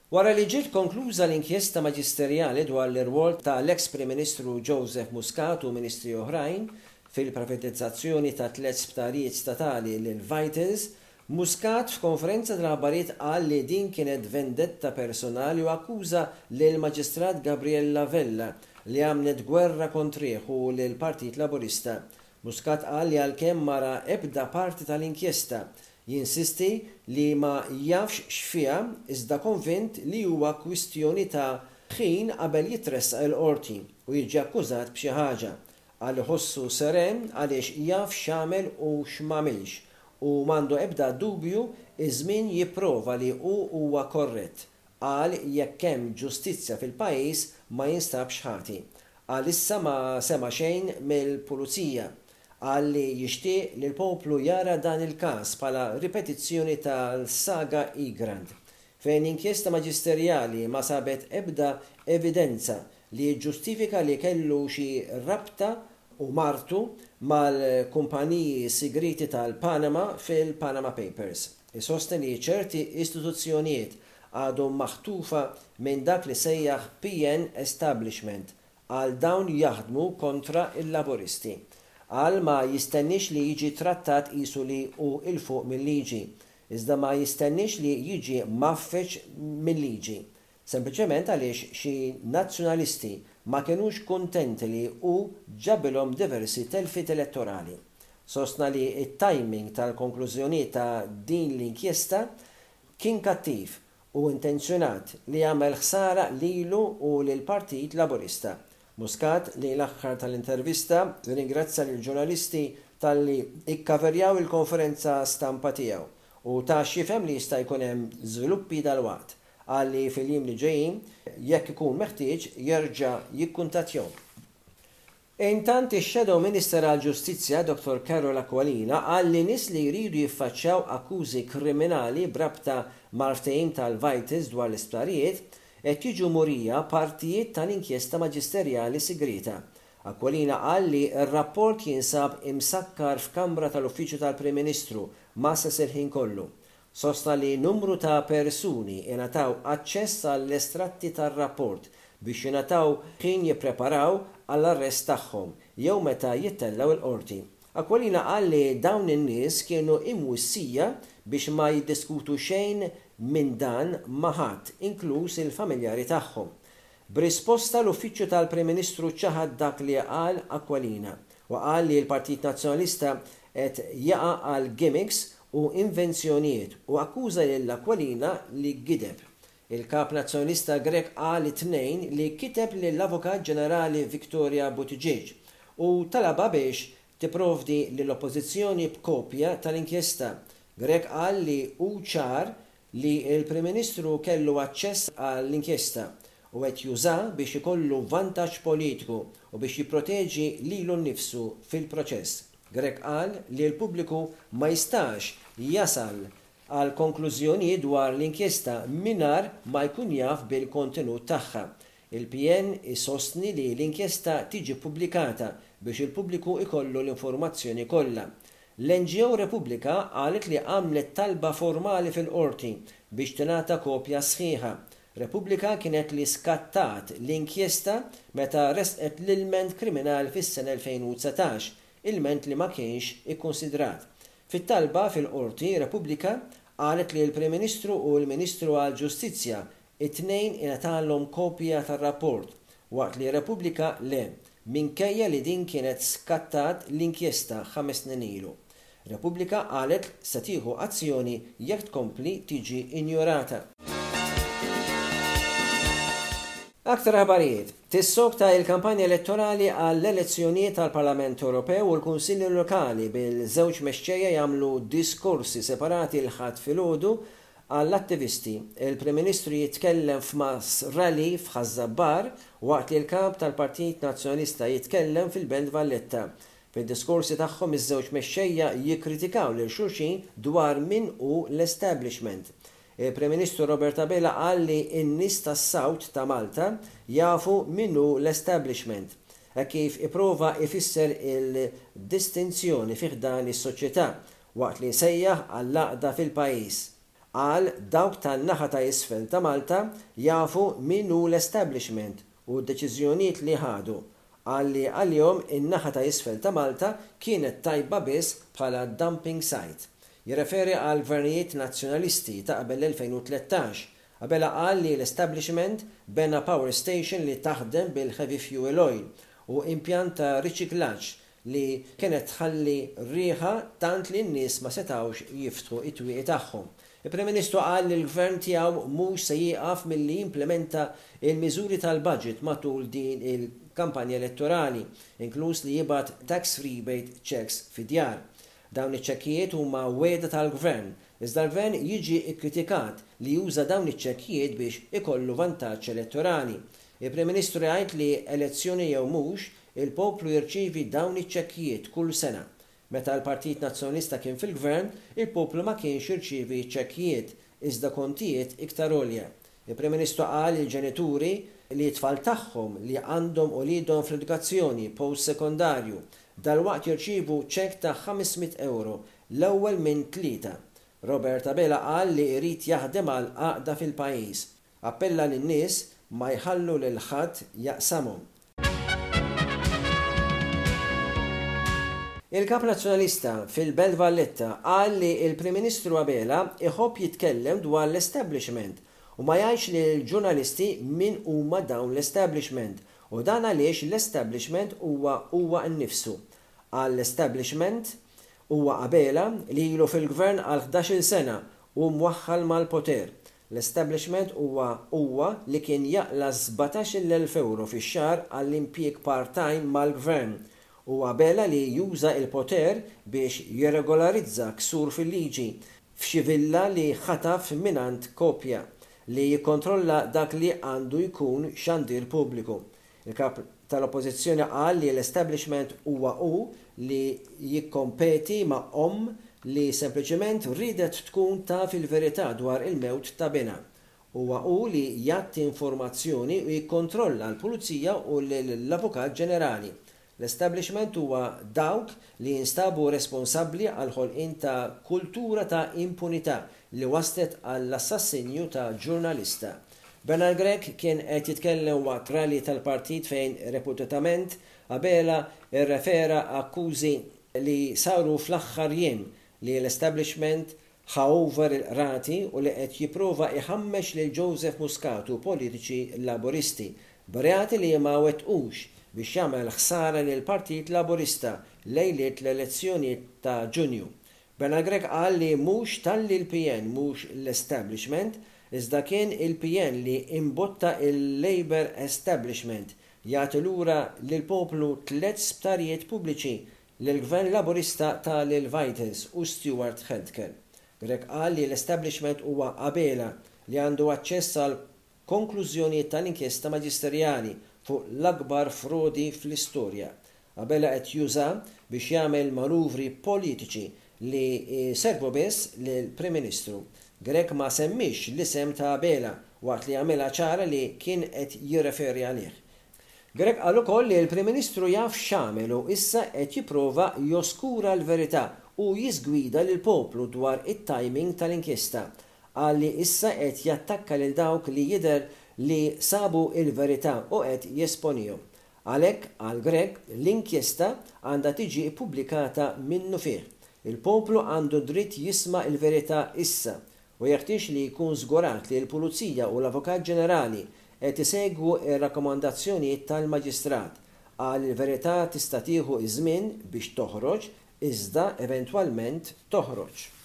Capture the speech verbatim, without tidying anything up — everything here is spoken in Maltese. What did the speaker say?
Wara li ġiet konkluża l-inkjesta maġisterjali dwar l-irwol tal-ex Prim Ministru Joseph Muscat u ministri oħrajn fil-privatizzazzjoni ta' tliet sptarijiet statali lil Vitals, Muscat f'konferenza tal-aħbarijiet qal li din kienet vendetta personali u akkuża lil Maġistrat Gabriella Vella li għamlet gwerra kontrih u lil Partit Laburista. Muscat qal li għalkemm ma ra ebda parti tal-inkjesta, jinsisti li ma jafx x'fiha, iżda konvint li huwa kwistjoni ta' ħin qabel jitressaq il-qorti u jiġi akkużat b'xi ħaġa. Qal iħossu seren għaliex jaf x'għamel u x'm'għamilx u m'għandu ebda dubju, iż-żmien jipprova li hu huwa korrett. Qal jekk hemm ġustizzja fil-pajjiż ma jinstabx ħati. Qal issa ma sema xejn mill-pulizija. Qal li jixtieq li l-poplu jara dan il-każ bħala ripetizzjoni tal-saga Egrant, fejn inkjesta maġisterjali ma sabet ebda evidenza li ġġustifika li kellu xi rabta u martu mal-kumpaniji sigriti tal-Panama fil-Panama Papers. Isostni li ċerti istituzzjonijiet għadhom maħtufa minn dak li sejjaħ P N Establishment, għal dawn jaħdmu kontra il-Laburisti. Qal ma jistenniex li jiġi trattat qisu li hu 'l fuq mill-liġi, iżda ma jistenniex li jiġi mgħaffeġ mill-liġi. Sempliċement għaliex xi nazzjonalisti ma kinux kuntenti li hu ġabilhom diversi telfiet elettorali. Sostna li it-timing tal-konklużjoni ta' din l-inkjesta kien kattiv u intenzjonat li jagħmel ħsara lilu u lill-Partit Laburista. Muscat li l-aħħar tal-intervista ringrazzja lill-ġurnalisti talli ikkaverjaw il-konferenza stampa tiegħu u ta x'jifhem li jista' jkun hemm żviluppi dalwaqt. Qal li fil-jiem li ġejjin, jekk ikun meħtieġ, jerġa' jikkuntattjahom. Intant, ix-Shadow Minister għal-Ġustizzja Dottor Karol Aquilina qal li nies li jridu jiffaċċjaw akkużi kriminali b'rabta mal-ftehim tal-Vitals dwar l-isptarijiet qed jiġu murija partijiet tal-inkjesta maġisterjali sigrita. Aquilina qal li r-rapport jinsab imsakkar f'kamra tal-Uffiċċju tal-Prim Ministru mgħasses il-ħin kollu. Sostna li numru ta' persuni ingħataw aċċess għall-estratti tar-rapport biex jingħataw ħin jippreparaw għall-arrest tagħhom jew meta jittellgħu il-qorti. Aquilina qal li dawn in-nies kienu imwissija biex ma jiddiskutu xejn minn dan ma' ħadd, inkluż il-familjari tagħhom. B'risposta, l-Uffiċċju tal-Prim Ministru ċaħad dak li qal Aquilina u qal li l-Partit Nazzjonalista qed jaqa' għal gimmicks u invenzjonijiet u akkuża lil Aquilina li gideb. Il-kap nazzjonalista Grech qal it-Tnejn li kiteb lill-Avukat Ġenerali Victoria Buttigieg u talaba biex tipprovdi lill-Oppożizzjoni b'kopja tal-inkjesta. Grech qal li hu ċar li l-Prim Ministru kellu aċċess għall-inkjesta u qed juża biex ikollu vantaġġ politiku u biex jipproteġi lilu nnifsu fil-proċess. Grech qal li l-pubbliku ma jistax jasal għal konklużjoni dwar l-inkjesta mingħajr ma jkun jaf bil-kontenut tagħha. Il-P N isostni li l-inkjesta tiġi pubblikata biex il-pubbliku ikollu l-informazzjoni kollha. L-N G O Repubblika qalet li għamlet talba formali fil-qorti biex tingħata kopja sħiħa. Repubblika kienet li skattat l-inkjesta meta resqet l-ilment kriminali fis-sena elfejn u dsatax, ilment li ma kienx ikkonsidrat. Fit-talba fil-qorti, Repubblika qalet li l-Prim Ministru u l-Ministru għal-Ġustizzja it-tnejn ingħatalhom kopja tar-rapport, waqt li Repubblika le, minkejja li din kienet skattat l-inkjesta ħames snin ilu. Repubblika qalet se tieħu azzjoni jekk tkompli tiġi injorata. Aktar aħbarijiet. Tissokta il-kampanja elettorali għall-elezzjonijiet tal-Parlament Ewropew u l-Kunsilli Lokali, bil-żewġ mexxejja jagħmlu diskorsi separati l-Ħadd filgħodu għall-attivisti. Il-Prim Ministru jitkellem f'mass rally f'Ħaż-Żabbar waqt li l-kap tal-Partit Nazzjonalista jitkellem fil-Belt Valletta. Fid-diskorsi tagħhom, iż-żewġ mexxejja jikkritikaw lil xulxin dwar min hu l-establishment. Il-Prim Ministru Robert Abela qal li n-nies tas-South ta' Malta jafu min hu l-establishment, e kif iprova ifisser il-distinzjoni fi ħdan is-soċjetà waqt li sejjaħ għall-għaqda fil-pajjiż. Qal dawk tan-naħa ta' isfel ta' Malta jafu min hu l-establishment u d-deċiżjonijiet li ħadu. Qal li għalihom in-naħa ta' isfel ta' Malta kienet tajba biss bħala dumping site. Jirreferi għal gvernijiet nazzjonalisti ta' qabel l-elfejn u tlettax. Abela qal li l-establishment bena power station li taħdem bil-heavy fuel oil u impjant ta' riċiklaġġ li kienet tħalli riħa tant li n-nies ma setgħux jiftħu it-twieqi tagħhom. Il-Prim Ministru qal li l-gvern tiegħu mhux se jieqaf milli jimplementa il-miżuri tal-budget matul din il-kampanja elettorali, inkluż li jibgħat tax rebate checks fid-djar. Dawn iċ-ċekkijiet huma wegħda tal-gvern, iżda l-gvern jiġi kkritikat li juża dawn iċ-ċekkijiet biex ikollu vantaġġ elettorali. Il-Prim Ministru jgħid li elezzjoni jew mhux, il-poplu jirċievi dawn iċ-ċekkijiet kull sena. Meta l-Partit Nazzjonalista kien fil-gvern, il-poplu ma kienx jirċievi ċekkijiet, iżda kontijiet iktar għolja. Il-Prim Ministru qal il-ġenituri li t-tfal tagħhom li għandhom uliedhom fl-edukazzjoni post-sekondarju dalwaqt jirċievu ċekk ta' ħames mitt euro l-ewwel minn tlieta. Robert Abela qal li jrid jaħdem għal għaqda fil-pajjiż. Appella lin-nies ma jħallu lil ħadd jaqsamhom. Il-Kap Nazzjonalista fil-Belt Valletta qal li l-Prim Ministru Abela iħobb jitkellem dwar l-establishment u ma jgħidx lill-ġurnalisti min huma dawn l-establishment u dan għaliex l-establishment huwa huwa nnifsu. Qal l-establishment huwa Abela li ilu fil-gvern għal ħdax-il sena u mwaħħal mal-poter. L-establishment huwa huwa li kien jaqla sbatax-il elf euro fix-xahar għall-impjieg part-time mal-gvern u Abela li juża il-poter biex jirregolarizza ksur fil-liġi f'xi villa li ħataf mingħand kopja li jikkontrolla dak li għandu jkun xandir pubbliku. Il-kap tal-oppożizzjoni qal li l-establishment huwa hu li jikkompeti ma' omm li sempliċement riedet tkun taf il-verità dwar il-mewt ta' binha. Huwa hu li jagħti informazzjoni u jikkontrolla l-Pulizija u l-Avukat Ġenerali. L-establishment huwa dawk li jinstabu responsabbli għal ħolqien ta' kultura ta' impunità li waslet għall-assassinju ta' ġurnalista. Bernard Grech kien qed jitkellem waqt rally tal-partit fejn reputatament Abela rrefera akkużi li saru fl-aħħar jiem li l-establishment ħa over il-qrati u li qed jipprova iħammex lil Joseph Muscat u politiċi Laburisti b'reati li ma wettqux biex jagħmel ħsara lil Partit Laburista lejliet l-elezzjonijiet ta' Ġunju. Bernard Grech qal li mhux talli l-P N mhux l-establishment, iżda kien il-P N li imbotta il-Labour Establishment jagħti lura lill-poplu tliet sptarijiet pubbliċi lill-Gvern Laburista ta' lil Vitals u Steward Healthcare. Grech qal li l-establishment huwa Abela li għandu aċċess għal konklużjonijiet tal-inkjesta maġisterjali fuq l-akbar frodi fl-istorja. Abela qed juża biex jagħmel manuvri politiċi li servu biss lill-Prim Ministru. Grech ma semmix l-isem ta' Abela waqt li għamilha ċara li kien qed jirreferi għalih. Grech qal ukoll li l-Prim Ministru jaf x'għamel u issa qed jipprova joskura l-verità u jiżgwida lill-poplu dwar it-timing tal-inkjesta. Qal li issa qed jattakka lil dawk li jidher li sabu il-verità u qed jesponihom. Għalhekk għal Grech l-inkjesta għandha tiġi ppubblikata minnu fih. Il-poplu għandu dritt jisma' il-verità issa u jeħtieġ li jkun żgurat li l-Pulizija u l-Avukat Ġenerali qed isegwu r-rakkomandazzjonijiet tal-Maġistrat. Qal il-verità tista' tieħu iż-żmien biex toħroġ, iżda eventwalment toħroġ.